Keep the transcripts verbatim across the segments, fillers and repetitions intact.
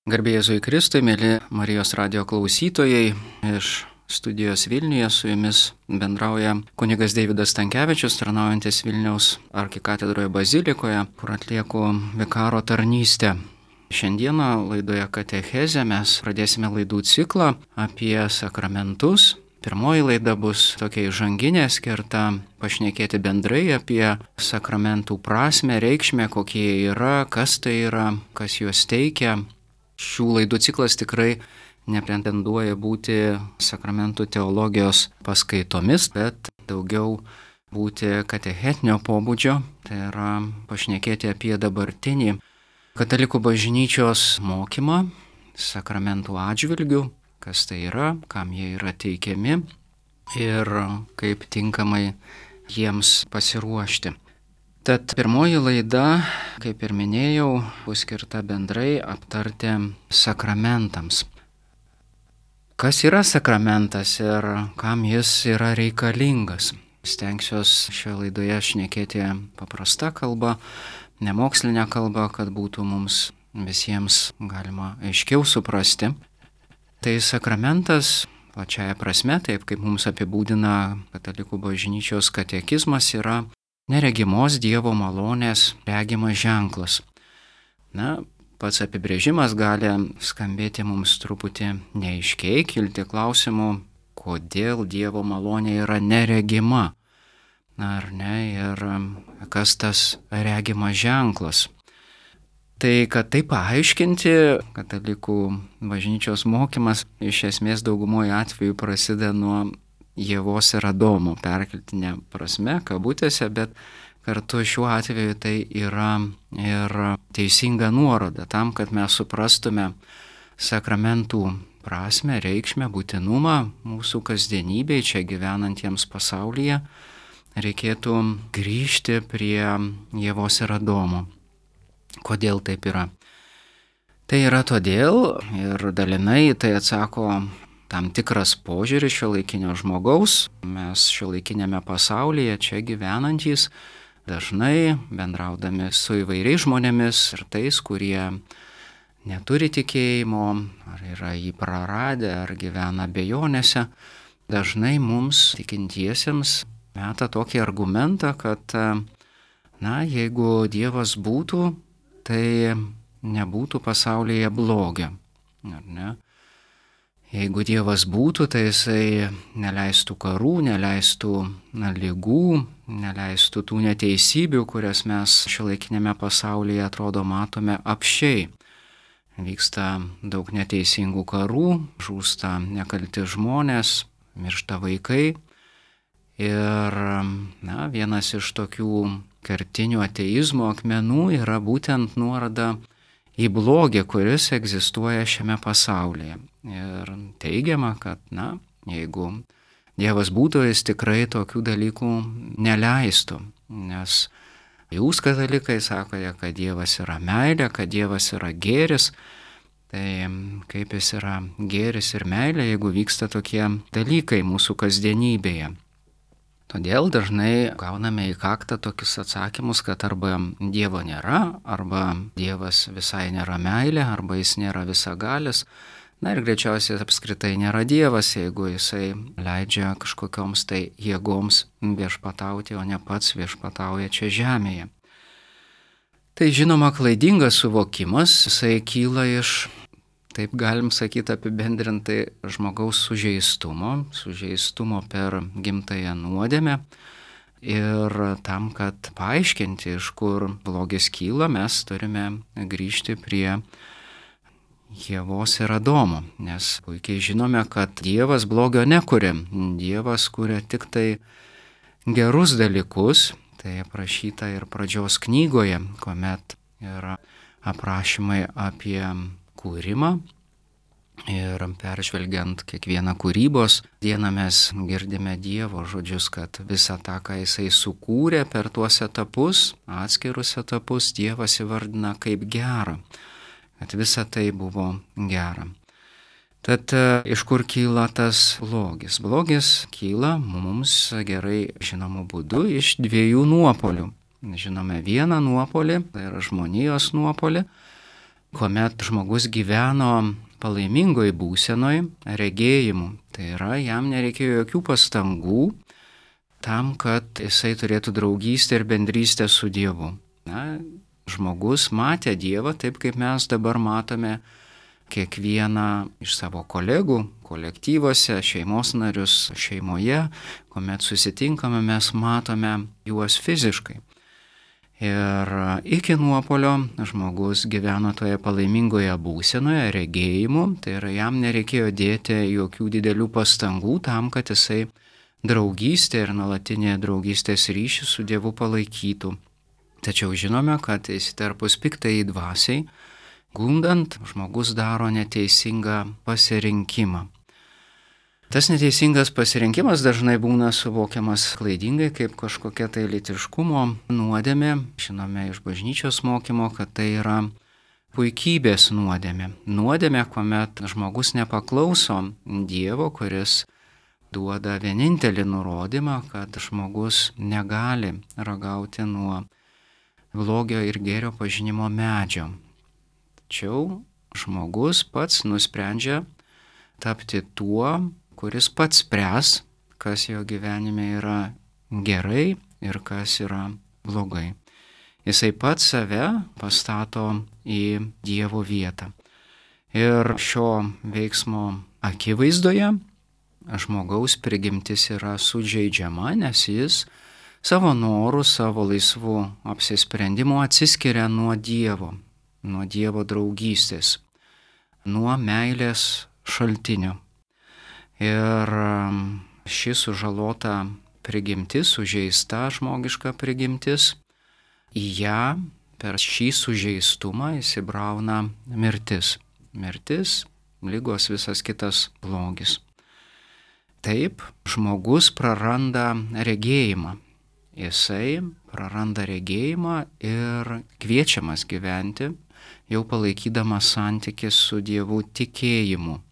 Garbė Jėzui Kristui, mėly Marijos radijo klausytojai, iš studijos Vilniuje su jumis bendrauja kunigas Deividas Stankevičius, tarnaujantis Vilniaus arkikatedroje bazilikoje, kur atlieku vikaro tarnystę. Šiandieną laidoje Katechezė mes pradėsime laidų ciklą apie sakramentus. Pirmoji laida bus tokia įžanginė, skirta pašnekėti bendrai apie sakramentų prasmę, reikšmę, kokie jie yra, kas tai yra, kas juos teikia. Šių laidų ciklas tikrai nepretenduoja būti sakramentų teologijos paskaitomis, bet daugiau būti katechetinio pobūdžio, tai yra pašnekėti apie dabartinį katalikų bažnyčios mokymą sakramentų atžvilgių, kas tai yra, kam jie yra teikiami ir kaip tinkamai jiems pasiruošti. Tad pirmoji laida, kaip ir minėjau, bus skirta bendrai aptarti sakramentams. Kas yra sakramentas ir kam jis yra reikalingas? Stengsiuos šioje laidoje šnekėti paprasta kalba, nemokslinė kalba, kad būtų mums visiems galima aiškiau suprasti. Tai sakramentas, plačiaja prasme, taip kaip mums apibūdina katalikų bažnyčios katekizmas, yra neregimos Dievo malonės regimas ženklas. Na, pats apibrėžimas gali skambėti mums truputį neaiškiai, kilti klausimų, kodėl Dievo malonė yra neregima. Na, ar ne, ir kas tas regimas ženklas. Tai, kad tai paaiškinti, katalikų bažnyčios mokymas iš esmės daugumoje atveju prasideda nuo Ievos ir Adomo, perkeltinė prasme, kabutėse, bet kartu šiuo atveju tai yra ir teisinga nuoroda tam, kad mes suprastume sakramentų prasme, reikšmę, būtinumą mūsų kasdienybėje, čia gyvenantiems pasaulyje, reikėtų grįžti prie Ievos ir Adomo. Kodėl taip yra? Tai yra todėl, ir dalinai tai atsako tam tikras požiūris šiuolaikinio žmogaus. Mes šiuolaikinėme pasaulyje čia gyvenantys dažnai bendraudami su įvairiais žmonėmis ir tais, kurie neturi tikėjimo, ar yra jį praradę, ar gyvena abejonėse, dažnai mums tikintiesiems meta tokį argumentą, kad, na, jeigu Dievas būtų, tai nebūtų pasaulyje blogio, ar ne? Jeigu Dievas būtų, tai jisai neleistų karų, neleistų na, ligų, neleistų tų neteisybių, kurias mes šiuolaikinėme pasaulyje atrodo matome apsčiai. Vyksta daug neteisingų karų, žūsta nekalti žmonės, miršta vaikai. Ir na, vienas iš tokių kertinių ateizmo akmenų yra būtent nuoroda į blogį, kuris egzistuoja šiame pasaulyje. Ir teigiama, kad, na, jeigu Dievas būtų, jis tikrai tokių dalykų neleistų. Nes jūs, katalikai, sakote, kad Dievas yra meilė, kad Dievas yra gėris. Tai kaip jis yra gėris ir meilė, jeigu vyksta tokie dalykai mūsų kasdienybėje. Todėl dažnai gauname į kaktą tokius atsakymus, kad arba Dievo nėra, arba Dievas visai nėra meilė, arba jis nėra visagalis. Na ir greičiausiai apskritai nėra Dievas, jeigu jisai leidžia kažkokioms tai jėgoms viešpatauti, o ne pats viešpatauja čia žemėje. Tai žinoma klaidingas suvokimas, jisai kyla iš, taip galim sakyti apibendrintai, žmogaus sužeistumo, sužeistumo per gimtąją nuodėmę. Ir tam, kad paaiškinti, iš kur blogis kyla, mes turime grįžti prie Ievos ir Adomo, nes puikiai žinome, kad Dievas blogio nekuria. Dievas kuria tik tai gerus dalykus, tai aprašyta ir pradžios knygoje, kuomet yra aprašymai apie kūrimą. Ir peržvelgiant kiekvieną kūrybos dieną mes girdime Dievo žodžius, kad visą tą, ką jisai sukūrė per tuos etapus, atskirus etapus, Dievas įvardina kaip gerą, kad visa tai buvo gera. Tad iš kur kyla tas blogis? Blogis kyla mums gerai žinomų būdų iš dviejų nuopolių. Žinome vieną nuopolį, tai yra žmonijos nuopolį, kuomet žmogus gyveno palaimingoj būsenoj, regėjimu. Tai yra, jam nereikėjo jokių pastangų tam, kad jisai turėtų draugystę ir bendrystę su Dievu. Na, žmogus matė Dievą taip, kaip mes dabar matome kiekvieną iš savo kolegų, kolektyvuose, šeimos narius šeimoje, kuomet susitinkame, mes matome juos fiziškai. Ir iki nuopuolio žmogus gyveno toje palaimingoje būsenoje, regėjimu, tai yra jam nereikėjo dėti jokių didelių pastangų tam, kad jisai draugystę ir nuolatinė draugystės ryšį su Dievu palaikytų. Tačiau žinome, kad įsiterpus piktai dvasiai, gundant, žmogus daro neteisingą pasirinkimą. Tas neteisingas pasirinkimas dažnai būna suvokiamas klaidingai kaip kažkokia tai lytiškumo nuodėmė. Žinome iš bažnyčios mokymo, kad tai yra puikybės nuodėmė. Nuodėmė, kuomet žmogus nepaklauso Dievo, kuris duoda vienintelį nurodymą, kad žmogus negali ragauti nuo blogio ir gėrio pažinimo medžio. Tačiau žmogus pats nusprendžia tapti tuo, kuris pats spręs, kas jo gyvenime yra gerai ir kas yra blogai. Jisai pats save pastato į Dievo vietą. Ir šio veiksmo akivaizdoje žmogaus prigimtis yra sužeidžiama, nes jis savo norų, savo laisvų apsisprendimų atsiskiria nuo Dievo, nuo Dievo draugystės, nuo meilės šaltinio. Ir ši sužalota prigimtis, sužeista žmogiška prigimtis, į ją per šį sužeistumą įsibrauna mirtis. Mirtis, ligos, visas kitas blogis. Taip, žmogus praranda regėjimą. Jisai praranda regėjimą ir kviečiamas gyventi, jau palaikydamas santykį su Dievu tikėjimu.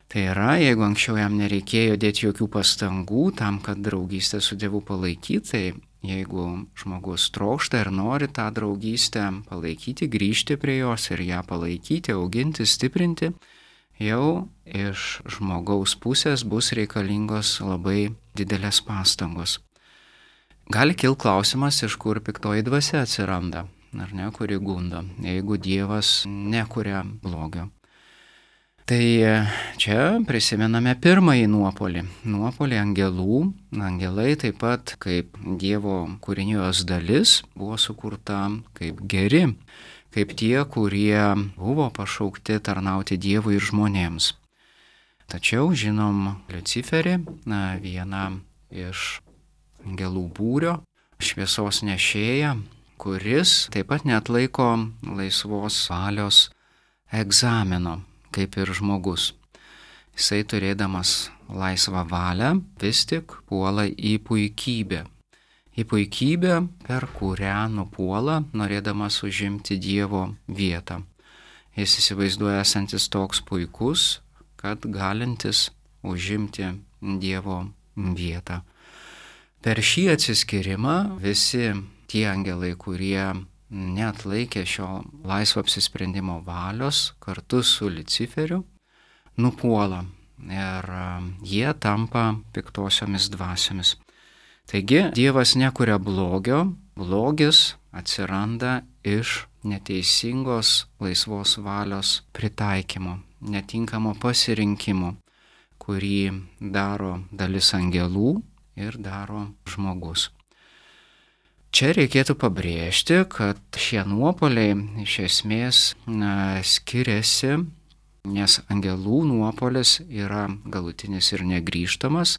Tai yra, jeigu anksčiau jam nereikėjo dėti jokių pastangų tam, kad draugystę su Dievu palaikyti, tai jeigu žmogus trokšta ir nori tą draugystę palaikyti, grįžti prie jos ir ją palaikyti, auginti, stiprinti, jau iš žmogaus pusės bus reikalingos labai didelės pastangos. Gali kilti klausimas, iš kur piktoji dvasia atsiranda, ar ne, kuri gundo, jeigu Dievas nekuria blogio. Tai čia prisimename pirmąjį nuopolį, nuopolį angelų. Angelai taip pat kaip Dievo kūrinijos dalis buvo sukurta kaip geri, kaip tie, kurie buvo pašaukti tarnauti Dievui ir žmonėms. Tačiau žinom Liuciferį, na, vieną iš angelų būrio, šviesos nešėją, kuris taip pat neatlaiko laisvos valios egzamino, kaip ir žmogus. Jisai turėdamas laisvą valią vis tik puola į puikybę. Į puikybę, per kurią nupuola, norėdamas užimti Dievo vietą. Jis įsivaizduoja esantis toks puikus, kad galintis užimti Dievo vietą. Per šį atsiskyrimą visi tie angelai, kurie neatlaikė šio laisvo apsisprendimo valios, kartu su Luciferiu nupuola ir jie tampa piktosiomis dvasiomis. Taigi Dievas nekuria blogio, blogis atsiranda iš neteisingos laisvos valios pritaikymo, netinkamo pasirinkimo, kurį daro dalis angelų ir daro žmogus. Čia reikėtų pabrėžti, kad šie nuopuoliai iš esmės na, skiriasi, nes angelų nuopuolis yra galutinis ir negrįžtamas,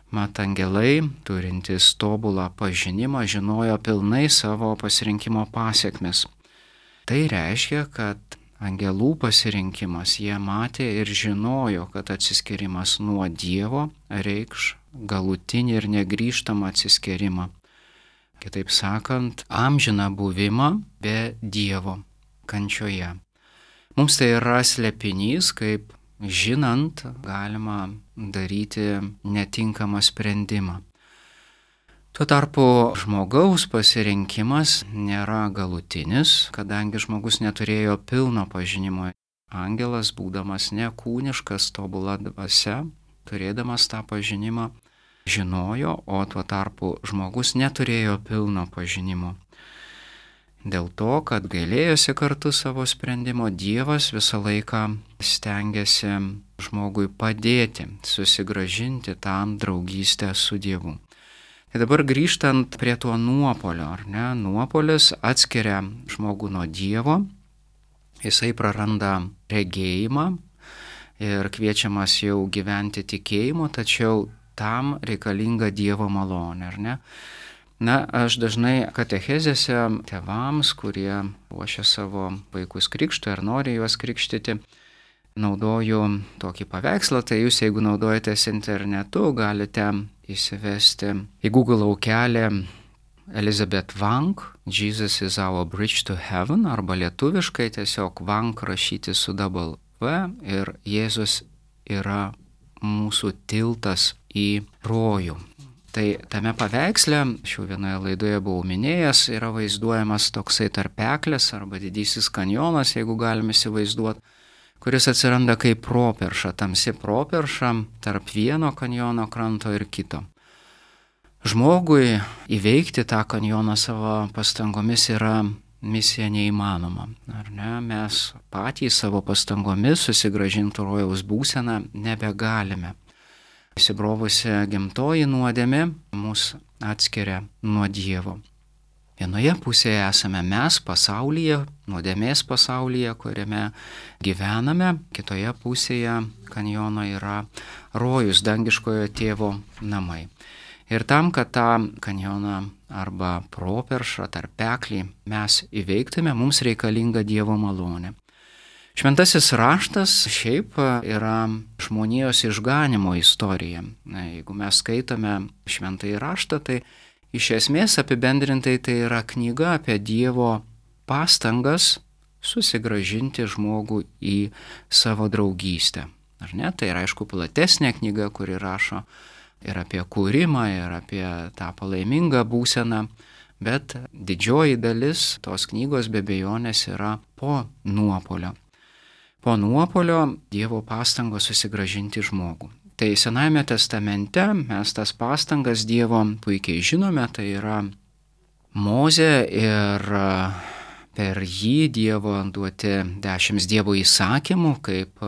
mat angelai, turintys tobulą pažinimą, žinojo pilnai savo pasirinkimo pasiekmes. Tai reiškia, kad angelų pasirinkimas jie matė ir žinojo, kad atsiskyrimas nuo Dievo reikš galutinį ir negrįžtamą atsiskyrimą. Kitaip sakant, amžiną buvimą be Dievo kančioje. Mums tai yra slėpinys, kaip žinant galima daryti netinkamą sprendimą. Tuo tarpu žmogaus pasirinkimas nėra galutinis, kadangi žmogus neturėjo pilno pažinimo. Angelas, būdamas nekūniškas, tobula dvasia, turėdamas tą pažinimą, žinojo, o tuo tarpu žmogus neturėjo pilno pažinimo. Dėl to, kad gailėjosi kartu savo sprendimo, Dievas visą laiką stengiasi žmogui padėti, susigrąžinti tą draugystę su Dievu. Tai dabar grįžtant prie to nuopolio, ar ne? Nuopolis atskiria žmogų nuo Dievo, jisai praranda regėjimą ir kviečiamas jau gyventi tikėjimu, tačiau tam reikalinga Dievo malonė, ar ne? Na, aš dažnai katechezėse tėvams, kurie ruošia savo vaikus krikštui ar nori juos krikštyti, naudoju tokį paveikslą. Tai jūs, jeigu naudojatės internetu, galite įsivesti į Google laukelį Elizabeth Wang, Jesus is our bridge to heaven, arba lietuviškai tiesiog Wang rašyti su double V ir Jėzus yra mūsų tiltas į rojų. Tai tame paveiksle, šių vienoje laidoje buvau minėjęs, yra vaizduojamas toksai tarpeklis arba didysis kanjonas, jeigu galime įsivaizduoti, kuris atsiranda kaip properša, tamsi properša tarp vieno kanjono kranto ir kito. Žmogui įveikti tą kanjoną savo pastangomis yra misija neįmanoma. Ar ne? Mes patys savo pastangomis susigrąžinti rojaus būseną nebegalime. Įsibrovusi gimtoji nuodėmė mus atskiria nuo Dievo. Vienoje pusėje esame mes pasaulyje, nuodėmės pasaulyje, kuriame gyvename, kitoje pusėje kanjono yra rojus, dangiškojo tėvo namai. Ir tam, kad tą kanjoną arba properšą, tarpeklį mes įveiktume, mums reikalinga Dievo malonė. Šventasis raštas šiaip yra žmonijos išganimo istorija. Na, jeigu mes skaitome šventąjį raštą, tai iš esmės apibendrintai tai yra knyga apie Dievo pastangas susigrąžinti žmogų į savo draugystę. Ar ne? Tai yra aišku platesnė knyga, kuri rašo ir apie kūrimą, ir apie tą palaimingą būseną, bet didžioji dalis tos knygos be abejonės yra po nuopolio. Po nuopolio Dievo pastangos susigrąžinti žmogų. Tai Senajame testamente mes tas pastangas Dievo puikiai žinome, tai yra Mozė ir per jį Dievo duoti dešimt Dievo įsakymų kaip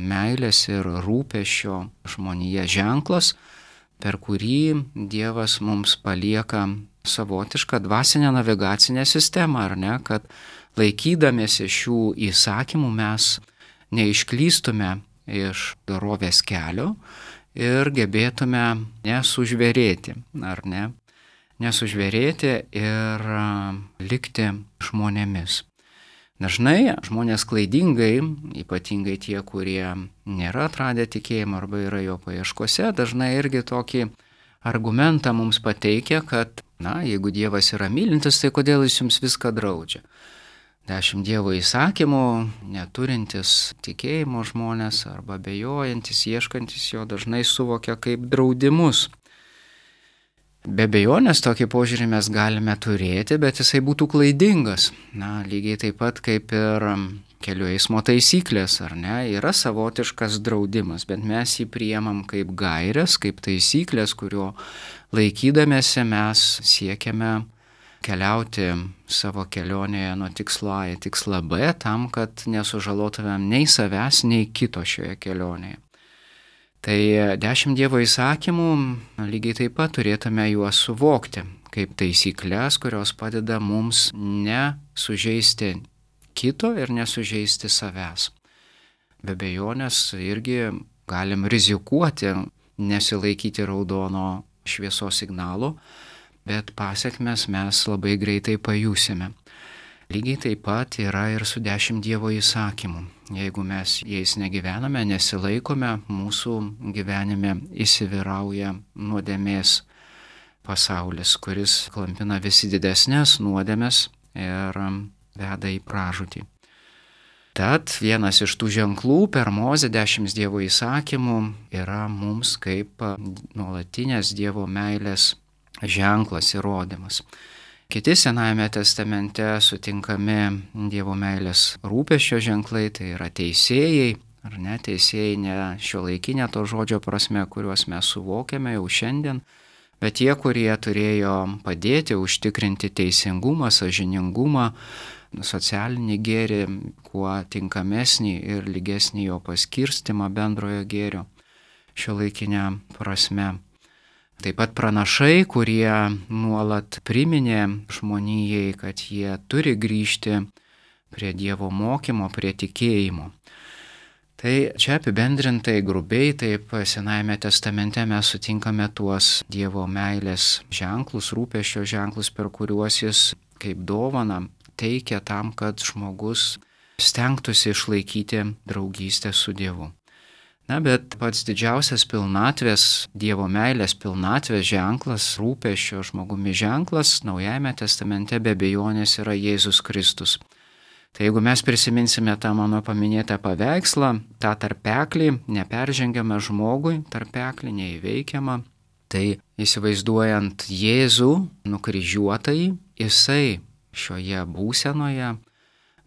meilės ir rūpesčio žmonija ženklas, per kurį Dievas mums palieka savotišką dvasinę navigacinę sistemą, ar ne, kad laikydamiesi šių įsakymų mes neišklystume iš dorovės kelio ir gebėtume nesužvėrėti, ar ne, nesužvėrėti ir likti žmonėmis. Dažnai žmonės klaidingai, ypatingai tie, kurie nėra atradę tikėjimą arba yra jo paieškose, dažnai irgi tokį argumentą mums pateikia, kad, na, jeigu Dievas yra mylintis, tai kodėl jis jums viską draudžia? Dešimt Dievo įsakymų, neturintis tikėjimo žmonės arba abejojantis, ieškantis jo dažnai suvokia kaip draudimus. Be abejonės tokį požiūrį mes galime turėti, bet jisai būtų klaidingas. Na, lygiai taip pat kaip ir kelių eismo taisyklės, ar ne, yra savotiškas draudimas, bet mes jį priemam kaip gaires, kaip taisyklės, kurio laikydamėsi mes siekiame keliauti savo kelionėje nuo tikslo A į tikslą B tam, kad nesužalotumėm nei savęs, nei kito šioje kelionėje. Tai dešimt Dievo įsakymų lygiai taip pat turėtume juos suvokti kaip taisyklės, kurios padeda mums nesužeisti kito ir nesužeisti savęs. Be abejonės irgi galim rizikuoti nesilaikyti raudono šviesos signalo, bet pasekmes mes labai greitai pajusime. Lygiai taip pat yra ir su dešimt Dievo įsakymų. Jeigu mes jais negyvename, nesilaikome, mūsų gyvenime įsivyrauja nuodėmės pasaulis, kuris klampina visi didesnės nuodėmės ir veda į pražūtį. Tad vienas iš tų ženklų per Mozę dešimt Dievo įsakymų yra mums kaip nuolatinės Dievo meilės ženklas, įrodymas. Kiti Senajame testamente sutinkami Dievo meilės rūpesčio ženklai, tai yra teisėjai, ar ne, teisėjai ne šiuolaikinė to žodžio prasme, kuriuos mes suvokiame jau šiandien, bet tie, kurie turėjo padėti užtikrinti teisingumą, sąžiningumą, socialinį gėrį, kuo tinkamesnį ir lygesnį jo paskirstimą bendrojo gėrio šiuolaikinę prasme. Taip pat pranašai, kurie nuolat priminė žmonijai, kad jie turi grįžti prie Dievo mokymo, prie tikėjimo. Tai čia apibendrintai, grubiai, taip Senajame testamente mes sutinkame tuos Dievo meilės ženklus, rūpesčio ženklus, per kuriuos jis kaip dovaną teikia tam, kad žmogus stengtųsi išlaikyti draugystę su Dievu. Na, bet pats didžiausias pilnatvės, Dievo meilės pilnatvės ženklas, rūpesčio žmogumi ženklas Naujajame testamente be abejonės yra Jėzus Kristus. Tai jeigu mes prisiminsime tą mano paminėtą paveikslą, tą tarpeklį, neperžengiamą žmogui, tarpeklį neįveikiamą, tai įsivaizduojant Jėzų nukryžiuotąjį, jisai šioje būsenoje,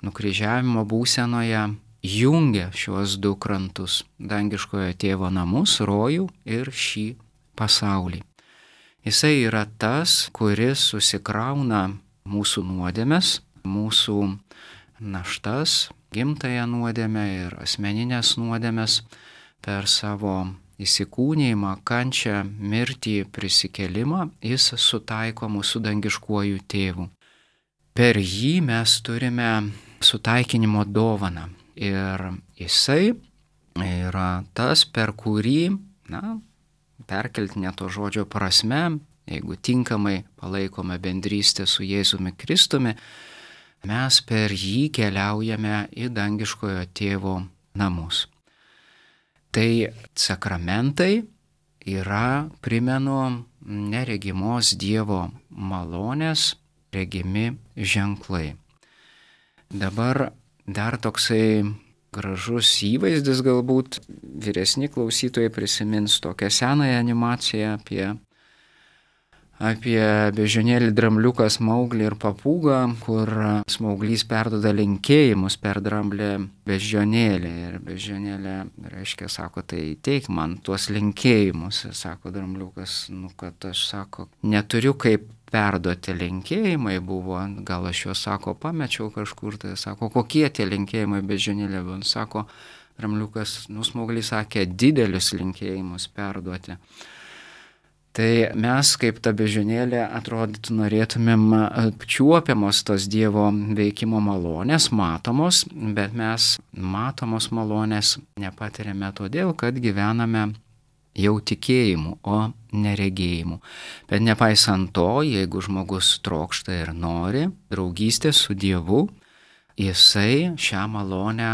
nukryžiavimo būsenoje, jungia šiuos du krantus - dangiškojo tėvo namus, rojų ir šį pasaulį. Jisai yra tas, kuris susikrauna mūsų nuodėmes, mūsų naštas, gimtąją nuodėmę ir asmeninės nuodėmes per savo įsikūnijimą, kančią, mirtį, prisikelimą, jis sutaiko mūsų dangiškuoju tėvu. Per jį mes turime sutaikinimo dovaną. Ir jisai yra tas, per kurį, na, perkeltinė to žodžio prasme, jeigu tinkamai palaikome bendrystę su Jėzumi Kristumi, mes per jį keliaujame į dangiškojo tėvo namus. Tai sakramentai yra, primenu, neregimos Dievo malonės regimi ženklai. Dabar dar toksai gražus įvaizdis, galbūt vyresni klausytojai prisimins tokią senąją animaciją apie, apie beždžionėlį, drambliuką, smauglį ir papūgą, kur smauglys perduoda linkėjimus per dramblę beždžionėlį. Ir beždžionėlė, reiškia, sako, tai teik man tuos linkėjimus. Sako drambliukas, nu kad aš, sako, neturiu kaip perduoti linkėjimai buvo, gal aš juos, sako, pamečiau kažkur, tai sako, kokie tie linkėjimai beždžionėlė buvo, sako, drambliukas, nu, smauglys sakė, didelius linkėjimus perduoti. Tai mes, kaip ta beždžionėlė, atrodytų norėtumėm apčiuopiamos tos Dievo veikimo malonės, matomos, bet mes matomos malonės nepatiriame todėl, kad gyvename jau tikėjimu, o neregėjimu. Bet nepaisant to, jeigu žmogus trokšta ir nori draugystės su Dievu, jisai šią malonę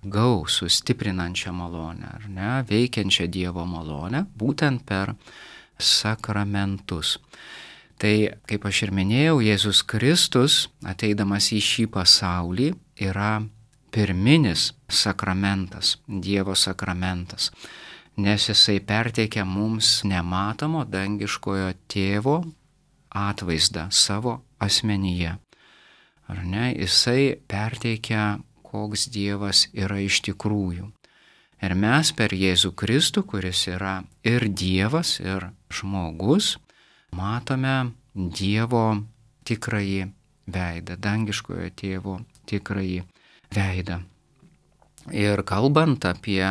gaus, sustiprinančią malonę, ar ne, veikiančią Dievo malonę, būtent per sakramentus. Tai, kaip aš ir minėjau, Jėzus Kristus, ateidamas į šį pasaulį, yra pirminis sakramentas, Dievo sakramentas. Nes jisai perteikia mums nematomo dangiškojo tėvo atvaizdą savo asmenyje. Ar ne? Jisai perteikia, koks Dievas yra iš tikrųjų. Ir mes per Jėzų Kristų, kuris yra ir Dievas, ir žmogus, matome Dievo tikrąjį veidą, dangiškojo tėvo tikrąjį veidą. Ir kalbant apie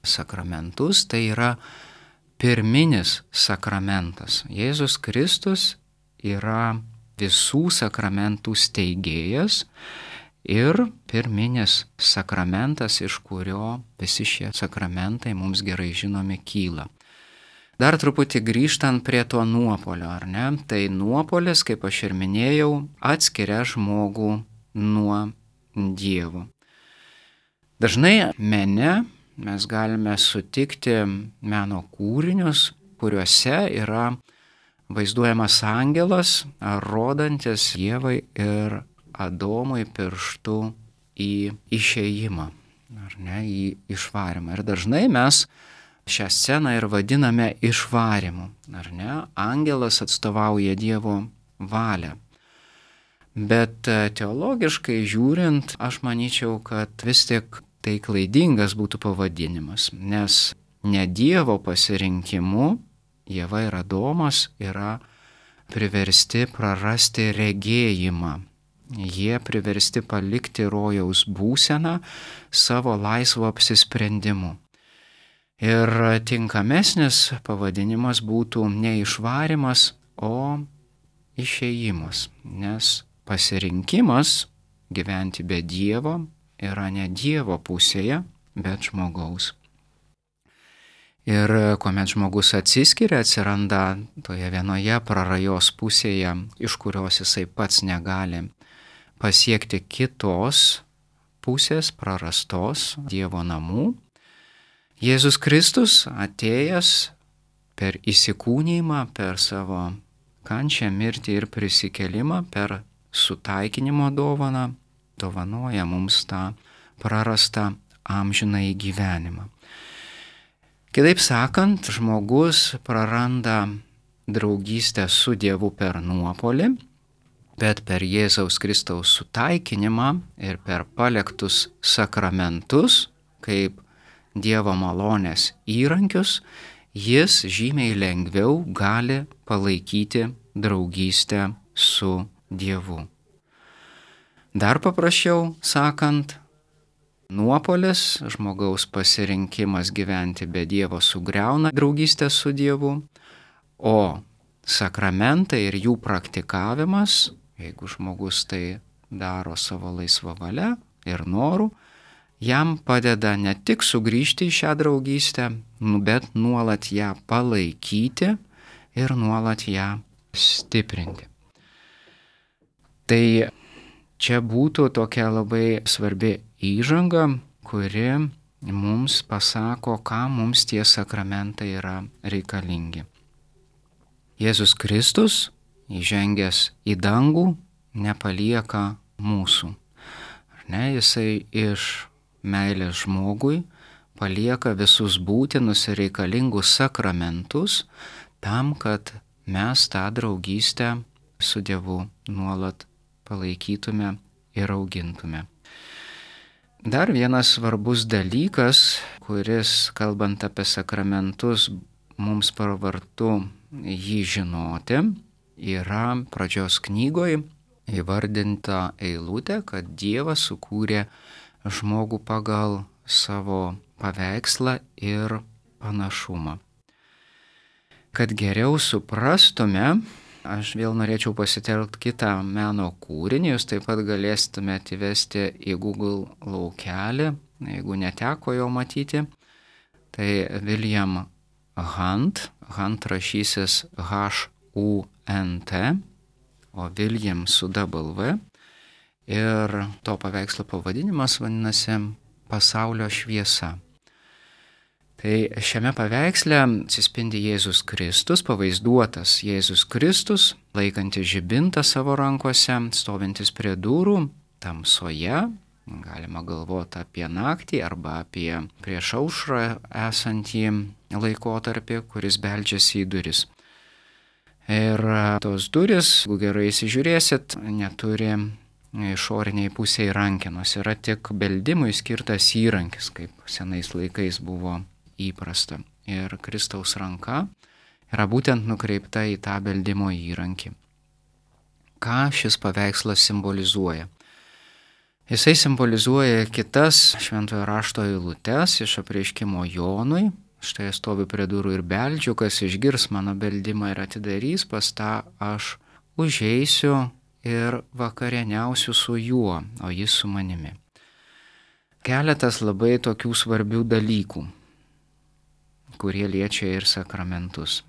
sakramentus, tai yra pirminis sakramentas. Jėzus Kristus yra visų sakramentų steigėjas ir pirminis sakramentas, iš kurio visi šie sakramentai mums gerai žinomi kyla. Dar truputį grįžtant prie to nuopolio, ar ne? Tai nuopolis, kaip aš ir minėjau, atskiria žmogų nuo Dievo. Dažnai mene mes galime sutikti meno kūrinius, kuriuose yra vaizduojamas angelas, rodantis Dievai ir Adomui pirštu į išėjimą, ar ne, į išvarymą. Ir dažnai mes šią sceną ir vadiname išvarimu, ar ne? Angelas atstovauja Dievo valią. Bet teologiškai žiūrint, aš manyčiau, kad vis tik tai klaidingas būtų pavadinimas, nes ne Dievo pasirinkimu Ieva ir Adomas yra priversti prarasti regėjimą. Jie priversti palikti rojaus būseną savo laisvo apsisprendimu. Ir tinkamesnis pavadinimas būtų ne išvarimas, o išėjimas, nes pasirinkimas gyventi be Dievo yra ne Dievo pusėje, bet žmogaus. Ir kuomet žmogus atsiskiria, atsiranda toje vienoje prarajos pusėje, iš kurios jisai pats negali pasiekti kitos pusės, prarastos Dievo namų. Jėzus Kristus atėjęs per įsikūnijimą, per savo kančią, mirtį ir prisikelimą, per sutaikinimo dovaną, dovanoja mums tą prarastą amžinąjį gyvenimą. Kitaip sakant, žmogus praranda draugystę su Dievu per nuopolį, bet per Jėzaus Kristaus sutaikinimą ir per paliktus sakramentus, kaip Dievo malonės įrankius, jis žymiai lengviau gali palaikyti draugystę su Dievu. Dar paprasčiau sakant, nuopolis, žmogaus pasirinkimas gyventi be Dievo sugriauna draugystę su Dievu, o sakramentai ir jų praktikavimas, jeigu žmogus tai daro savo laisvą valią ir norų, jam padeda ne tik sugrįžti į šią draugystę, bet nuolat ją palaikyti ir nuolat ją stiprinti. Tai čia būtų tokia labai svarbi įžanga, kuri mums pasako, ką mums tie sakramentai yra reikalingi. Jėzus Kristus, įžengęs į dangų, nepalieka mūsų. Ar ne, jisai iš meilės žmogui palieka visus būtinus ir reikalingus sakramentus tam, kad mes tą draugystę su Dievu nuolat palaikytume ir augintume. Dar vienas svarbus dalykas, kuris, kalbant apie sakramentus, mums pravartu jį žinoti, yra pradžios knygoje įvardinta eilutė, kad Dievas sukūrė žmogų pagal savo paveikslą ir panašumą. Kad geriau suprastume, aš vėl norėčiau pasitelkti kitą meno kūrinį, jūs taip pat galėstumėte įvesti į Google laukelį, jeigu neteko jo matyti. Tai William Hunt, Hunt rašysis H U N T, o William su W. Ir to paveikslo pavadinimas vadinasi Pasaulio šviesa. Tai šiame paveiksle atsispindi Jėzus Kristus, pavaizduotas Jėzus Kristus, laikantis žibintą savo rankose, stovintis prie durų, tamsoje, galima galvoti apie naktį arba apie prieš aušrą esantį laikotarpį, kuris beldžiasi į duris. Ir tos duris, jeigu gerai įsižiūrėsit, neturi išoriniai pusiai rankenos, yra tik beldimui skirtas įrankis, kaip senais laikais buvo įprasta. Ir Kristaus ranka yra būtent nukreipta į tą beldimo įrankį. Ką šis paveikslas simbolizuoja? Jisai simbolizuoja kitas šventojo rašto eilutes iš apreiškimo Jonui. Štai stoviu prie durų ir beldžiu, kas išgirs mano beldimą ir atidarys, pas tą aš užeisiu ir vakarieniausiu su juo, o jis su manimi. Keletas labai tokių svarbių dalykų, kurie liečia ir sakramentus.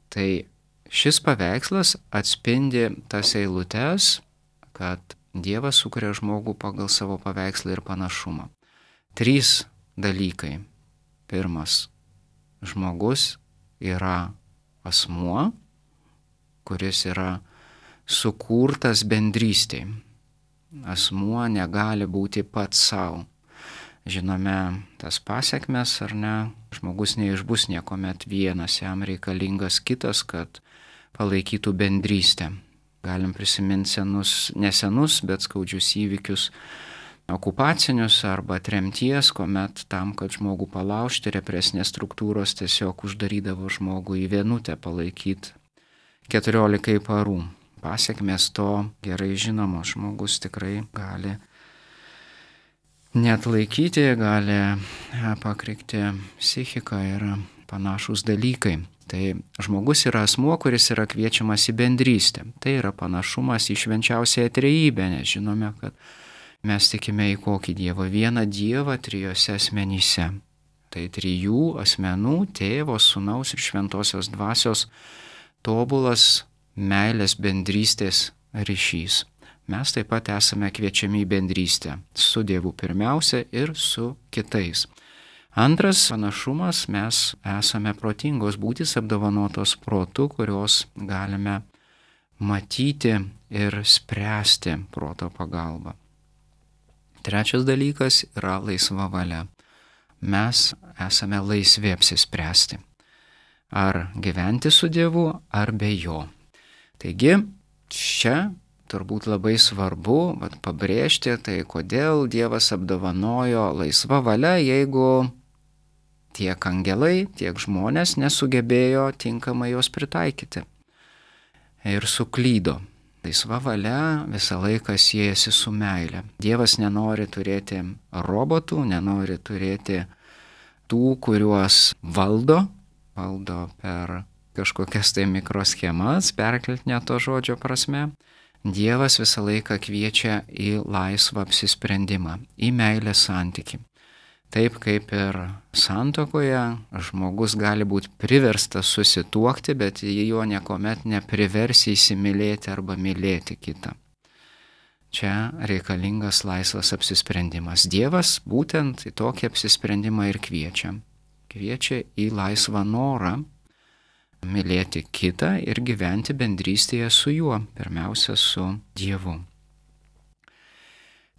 Tai šis paveikslas atspindi tas eilutes, kad Dievas sukuria žmogų pagal savo paveikslą ir panašumą. Trys dalykai. Pirmas, žmogus yra asmuo, kuris yra sukurtas bendrystėj. Asmuo negali būti pats savo. Žinome tas pasekmes, ar ne? žmogus neišbus niekuomet vienas, jam reikalingas kitas, kad palaikytų bendrystę. Galim prisiminti senus, nesenus, bet skaudžius įvykius okupacinius arba tremties, kuomet tam, kad žmogų palaužti, represinės struktūros tiesiog uždarydavo žmogų į vienutę palaikyti keturiolikai parų. Pasiekmės to gerai žinomo, žmogus tikrai gali neatlaikyti, gali pakrikti psichiką ir panašus dalykai. Tai žmogus yra asmuo, kuris yra kviečiamas į bendrystę. Tai yra panašumas į švenčiausiąją trejybę, nes žinome, kad mes tikime į kokį Dievą? Vieną Dievą trijose asmenyse. Tai trijų asmenų, Tėvo, Sūnaus ir Šventosios Dvasios tobulas meilės bendrystės ryšys. Mes taip pat esame kviečiami į bendrystę su Dievu pirmiausia ir su kitais. Antras panašumas, mes esame protingos būtys apdovanotos protu, kurios galime matyti ir spręsti proto pagalba. Trečias dalykas yra laisva valia. Mes esame laisvi apsispręsti, ar gyventi su Dievu, ar be Jo. Taigi, čia turbūt labai svarbu vat, pabrėžti, tai kodėl Dievas apdovanojo laisvą valią, jeigu tiek angelai, tiek žmonės nesugebėjo tinkamai jos pritaikyti ir suklydo. Laisva valia visą laiką siejasi su meile. Dievas nenori turėti robotų, nenori turėti tų, kuriuos valdo, valdo per kažkokias tai mikroschemas, perkeltinė to žodžio prasme. Dievas visą laiką kviečia į laisvą apsisprendimą, į meilės santykį. Taip kaip ir santuokoje žmogus gali būti priverstas susituokti, bet jo niekuomet nepriversi įsimylėti arba mylėti kitą. Čia reikalingas laisvas apsisprendimas. Dievas būtent į tokį apsisprendimą ir kviečia. Kviečia į laisvą norą mylėti kitą ir gyventi bendrystėje su juo, pirmiausia su Dievu.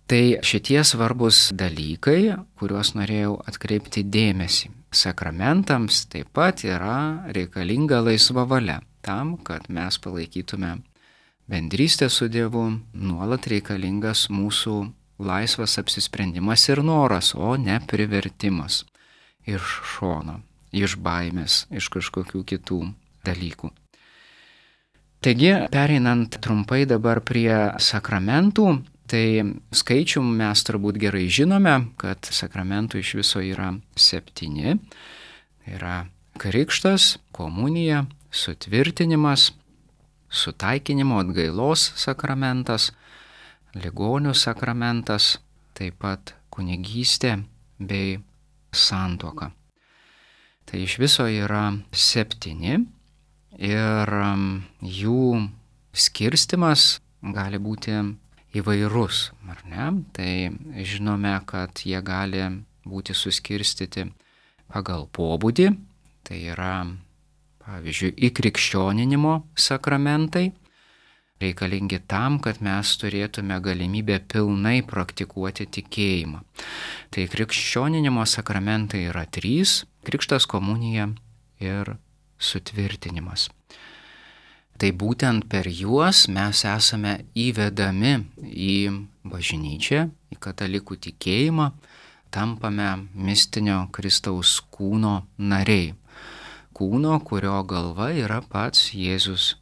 Tai šitie svarbus dalykai, kuriuos norėjau atkreipti dėmesį. Sakramentams taip pat yra reikalinga laisva valia. Tam, kad mes palaikytume bendrystę su Dievu, nuolat reikalingas mūsų laisvas apsisprendimas ir noras, o ne privertimas iš šono, iš baimės, iš kažkokių kitų dalykų. Taigi, pereinant trumpai dabar prie sakramentų, tai skaičių mes turbūt gerai žinome, kad sakramentų iš viso yra septyni. Tai yra krikštas, komunija, sutvirtinimas, sutaikinimo atgailos sakramentas, ligonių sakramentas, taip pat kunigystė bei santuoka. Tai iš viso yra septyni ir jų skirstimas gali būti įvairus, ar ne? Tai žinome, kad jie gali būti suskirstyti pagal pobūdį, tai yra, pavyzdžiui, įkrikščioninimo sakramentai, reikalingi tam, kad mes turėtume galimybę pilnai praktikuoti tikėjimą. Tai krikščioninimo sakramentai yra trys - krikštas, komunija ir sutvirtinimas. Tai būtent per juos mes esame įvedami į bažnyčią, į katalikų tikėjimą, tampame mistinio Kristaus kūno nariai. Kūno, kurio galva yra pats Jėzus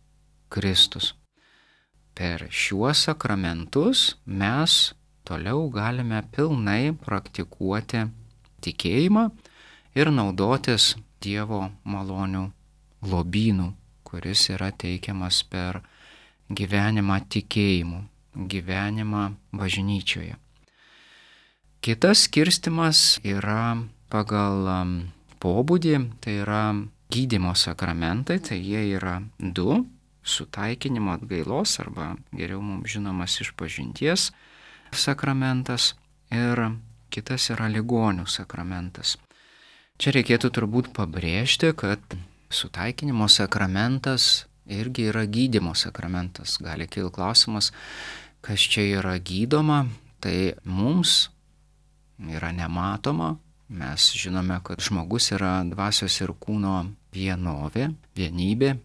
Kristus. Per šiuos sakramentus mes toliau galime pilnai praktikuoti tikėjimą ir naudotis Dievo malonių lobynų, kuris yra teikiamas per gyvenimą tikėjimu, gyvenimą bažnyčioje. Kitas skirstimas yra pagal pobūdį, tai yra gydymo sakramentai, tai jie yra du - sutaikinimo atgailos arba geriau mums žinomas išpažinties sakramentas ir kitas yra ligonių sakramentas. Čia reikėtų turbūt pabrėžti, kad sutaikinimo sakramentas irgi yra gydymo sakramentas. Gali kilti klausimas, kas čia yra gydoma, tai mums yra nematoma, Mes žinome, kad žmogus yra dvasios ir kūno vienovė, vienybė.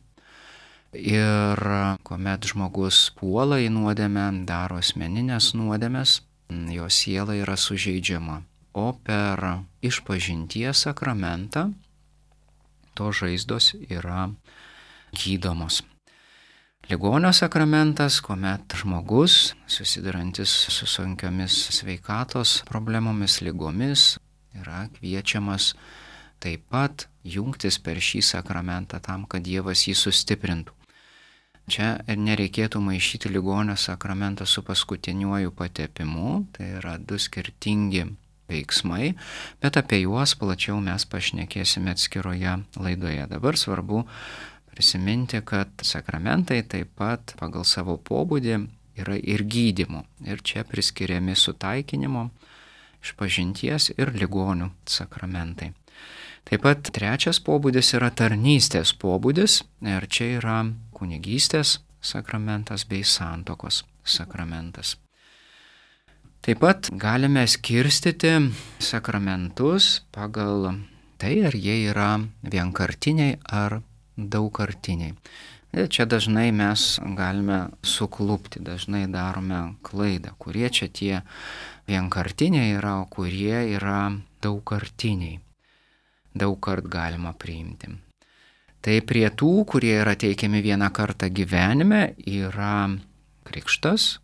Ir kuomet žmogus puola į nuodėmę, daro asmeninės nuodėmes, jo siela yra sužeidžiama. O per išpažinties sakramentą to žaizdos yra gydomos. Ligonio sakramentas, kuomet žmogus, susidurantis su sunkiomis sveikatos problemomis, lygomis, yra kviečiamas taip pat jungtis per šį sakramentą tam, kad Dievas jį sustiprintų. Čia ir nereikėtų maišyti ligonio sakramentą su paskutiniuoju patepimu, tai yra du skirtingi veiksmai, bet apie juos plačiau mes pašnekėsime atskiroje laidoje. Dabar svarbu prisiminti, kad sakramentai taip pat pagal savo pobūdį yra ir gydymo. Ir čia priskiriami sutaikinimo, išpažinties ir ligonių sakramentai. Taip pat trečias pobūdis yra tarnystės pobūdis ir čia yra kunigystės sakramentas bei santuokos sakramentas. Taip pat galime skirstyti sakramentus pagal tai, ar jie yra vienkartiniai ar daugkartiniai. Ir čia dažnai mes galime suklupti, dažnai darome klaidą, kurie čia tie vienkartiniai yra, o kurie yra daugkartiniai. Daug kart galima priimti. Tai prie tų, kurie yra teikiami vieną kartą gyvenime, yra krikštas,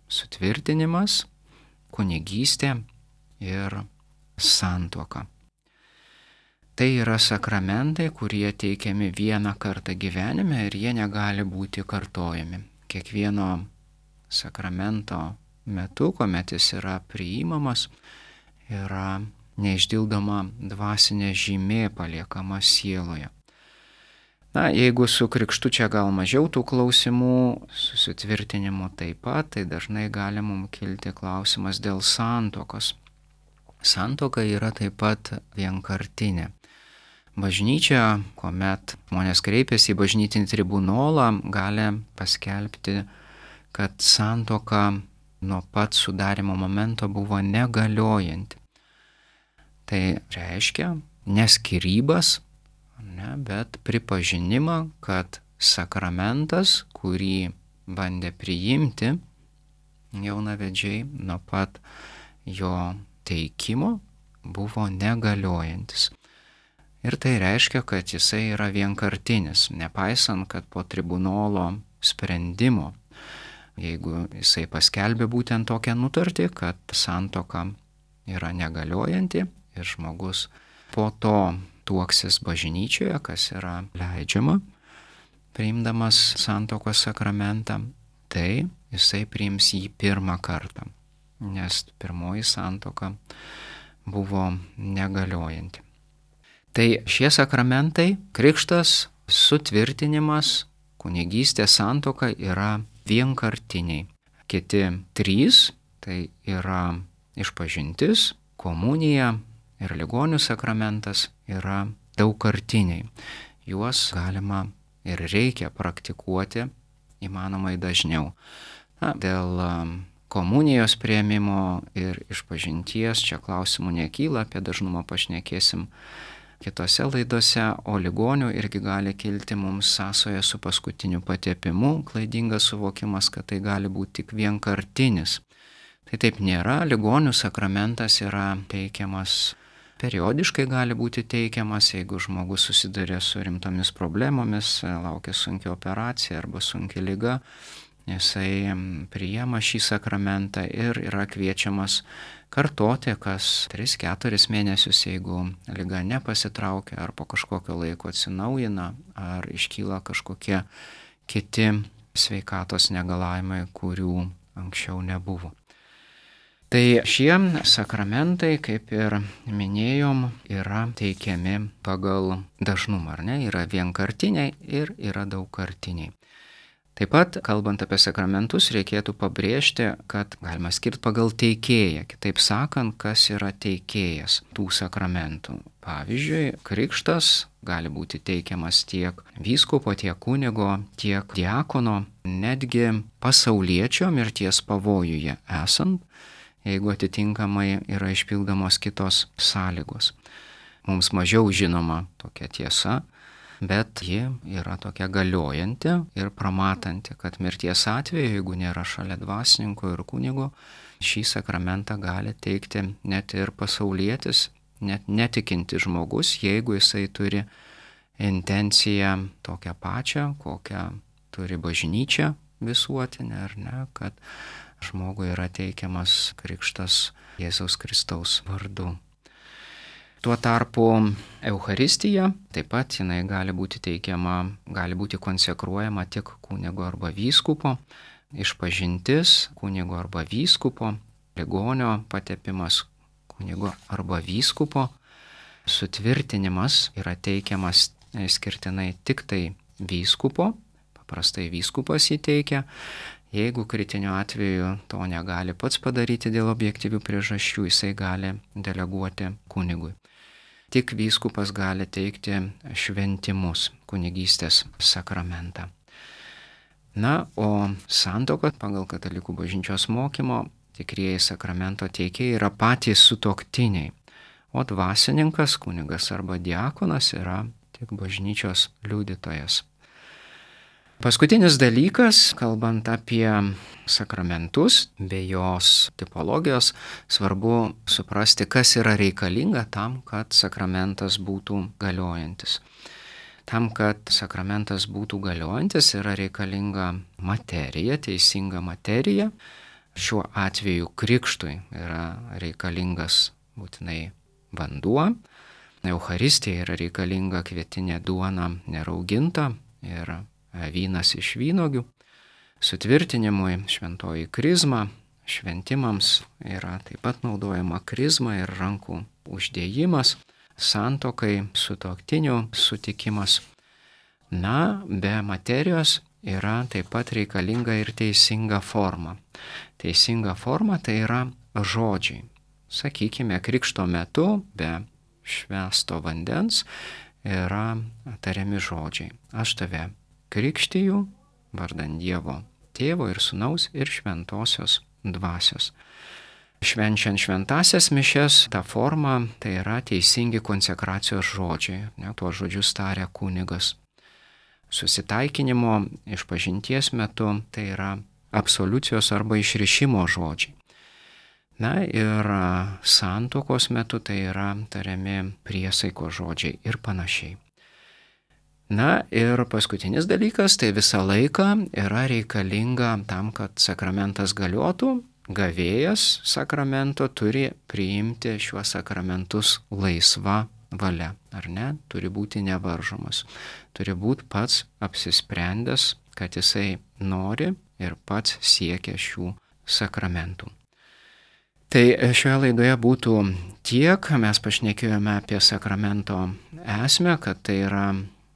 sutvirtinimas, kunigystė ir santuoka. Tai yra sakramentai, kurie teikiami vieną kartą gyvenime ir jie negali būti kartojami. Kiekvieno sakramento metu, kuomet jis yra priimamas, yra neišdildoma dvasinė žymė paliekama sieloje. Na, jeigu su krikštu čia gal mažiau tų klausimų, susitvirtinimu taip pat, tai dažnai gali mums kilti klausimas dėl santuokos. Santuoka yra taip pat vienkartinė. Bažnyčia, kuomet žmonės kreipiasi į bažnytinį tribunolą, gali paskelbti, kad santuoka nuo pat sudarimo momento buvo negaliojanti. Tai reiškia ne skyrybas, ne, bet pripažinimą, kad sakramentas, kurį bandė priimti jaunavedžiai nuo pat jo teikimo, buvo negaliojantis. Ir tai reiškia, kad jisai yra vienkartinis, nepaisant, kad po tribunolo sprendimo, jeigu jisai paskelbė būtent tokią nutartį, kad santuoka yra negaliojanti, ir žmogus po to tuoksis bažnyčioje, kas yra leidžiama, priimdamas santuokos sakramentą, tai jisai priims jį pirmą kartą, nes pirmoji santuoka buvo negaliojanti. Tai šie sakramentai, krikštas, sutvirtinimas, kunigystė, santuoka yra vienkartiniai. Kiti trys, tai yra išpažintis, komunija ir ligonių sakramentas yra daugkartiniai. Juos galima ir reikia praktikuoti įmanomai dažniau. Na, dėl komunijos priėmimo ir išpažinties čia klausimų nekyla, apie dažnumą pašnekėsim kitose laidose, o ligonių irgi gali kilti mums sąsoja su paskutiniu patepimu, klaidingas suvokimas, kad tai gali būti tik vienkartinis. Tai taip nėra, ligonių sakramentas yra teikiamas periodiškai, gali būti teikiamas, jeigu žmogus susiduria su rimtomis problemomis, laukia sunkia operacija arba sunkia liga, jisai priima šį sakramentą ir yra kviečiamas kartoti kas tris keturis mėnesius, jeigu liga nepasitraukia ar po kažkokio laiko atsinaujina, ar iškyla kažkokie kiti sveikatos negalavimai, kurių anksčiau nebuvo. Tai šie sakramentai, kaip ir minėjom, yra teikiami pagal dažnumą, ar ne? Yra vienkartiniai ir yra daugkartiniai. Taip pat, kalbant apie sakramentus, reikėtų pabrėžti, kad galima skirti pagal teikėją. Kitaip sakant, kas yra teikėjas tų sakramentų. Pavyzdžiui, krikštas gali būti teikiamas tiek vyskupo, tiek kunigo, tiek diakono, netgi pasauliečio mirties pavojuje esant. jeigu atitinkamai yra išpildomos kitos sąlygos. Mums mažiau žinoma tokia tiesa, bet ji yra tokia galiojanti ir pramatanti, kad mirties atveju, jeigu nėra šalia dvasininko ir kunigo, šį sakramentą gali teikti net ir pasaulietis, net netikinti žmogus, jeigu jisai turi intenciją tokią pačią, kokią turi bažnyčia visuotinė, ar ne, kad žmogui yra teikiamas krikštas Jėzaus Kristaus vardu. Tuo tarpu Eucharistija taip pat jinai gali būti teikiama, gali būti konsekruojama tik kunigo arba vyskupo, išpažintis kunigo arba vyskupo, ligonio patepimas kunigo arba vyskupo, sutvirtinimas yra teikiamas skirtinai tik tai vyskupo, paprastai vyskupas įteikia, jeigu kritiniu atveju to negali pats padaryti dėl objektyvių priežasčių, jisai gali deleguoti kunigui. Tik vyskupas gali teikti šventimus, kunigystės sakramentą. Na, o santuoka pagal katalikų bažnyčios mokymo tikrieji sakramento teikėjai yra patys sutuoktiniai, o dvasininkas, kunigas arba diakonas yra tik bažnyčios liudytojas. Paskutinis dalykas, kalbant apie sakramentus, bei jos tipologijos, svarbu suprasti, kas yra reikalinga tam, kad sakramentas būtų galiojantis. Tam, kad sakramentas būtų galiojantis, yra reikalinga materija, teisinga materija. Šiuo atveju krikštui yra reikalingas būtinai vanduo, Eucharistija yra reikalinga kvietinė duona nerauginta ir vynas iš vynuogių, sutvirtinimui šventoji krizma, šventimams yra taip pat naudojama krizma ir rankų uždėjimas, santuokai sutuoktinių sutikimas. Na, be materijos yra taip pat reikalinga ir teisinga forma. Teisinga forma tai yra žodžiai. Sakykime, krikšto metu be švęsto vandens yra tariami žodžiai. Aš tave krikštiju vardan Dievo Tėvo ir Sūnaus ir Šventosios Dvasios. Švenčiant šventasias mišias, ta forma tai yra teisingi konsekracijos žodžiai, ne, tuos žodžius taria kunigas. Susitaikinimo išpažinties metu tai yra absoliucijos arba išrišimo žodžiai. Na ir santuokos metu tai yra tariami priesaikos žodžiai ir panašiai. Na ir paskutinis dalykas, tai visą laiką yra reikalinga tam, kad sakramentas galiotų, gavėjas sakramento turi priimti šiuos sakramentus laisva valia, ar ne? Turi būti nevaržomas, turi būti pats apsisprendęs, kad jisai nori ir pats siekia šių sakramentų. Tai šioje laidoje būtų tiek, mes pašnekėjome apie sakramento esmę, kad tai yra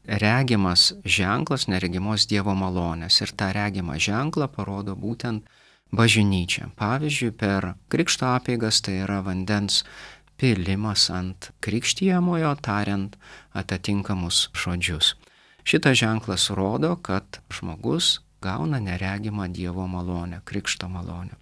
regimas ženklas neregimos Dievo malonės ir tą regimą ženklą parodo būtent bažnyčia. Pavyzdžiui, per krikšto apeigas tai yra vandens pilimas ant krikštijamojo, tariant atitinkamus žodžius. Šitas ženklas rodo, kad žmogus gauna neregimą Dievo malonę, krikšto malonę.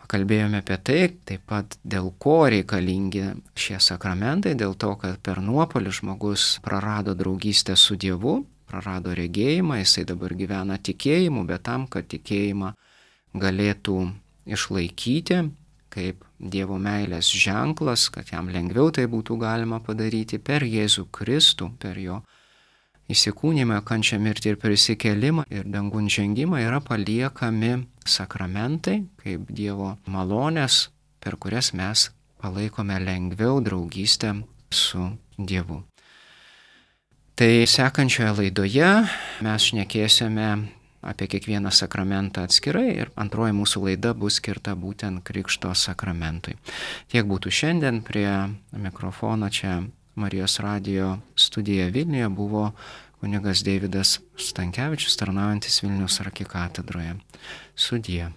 Pakalbėjome apie tai, taip pat dėl ko reikalingi šie sakramentai, dėl to, kad per nuopuolį žmogus prarado draugystę su Dievu, prarado regėjimą, jisai dabar gyvena tikėjimu, bet tam, kad tikėjimą galėtų išlaikyti kaip Dievo meilės ženklas, kad jam lengviau tai būtų galima padaryti per Jėzų Kristų, per jo įsikūnymą, kančią, mirtį ir prisikėlimą ir dangun žengimą yra paliekami sakramentai, kaip Dievo malonės, per kurias mes palaikome lengviau draugystę su Dievu. Tai sekančioje laidoje mes šnekėsime apie kiekvieną sakramentą atskirai ir antroji mūsų laida bus skirta būtent krikšto sakramentui. Tiek būtų šiandien. Prie mikrofono čia Marijos radijo studija Vilniuje buvo kunigas Deividas Stankevičius, tarnaujantis Vilniaus arkikatedroje. Sudie.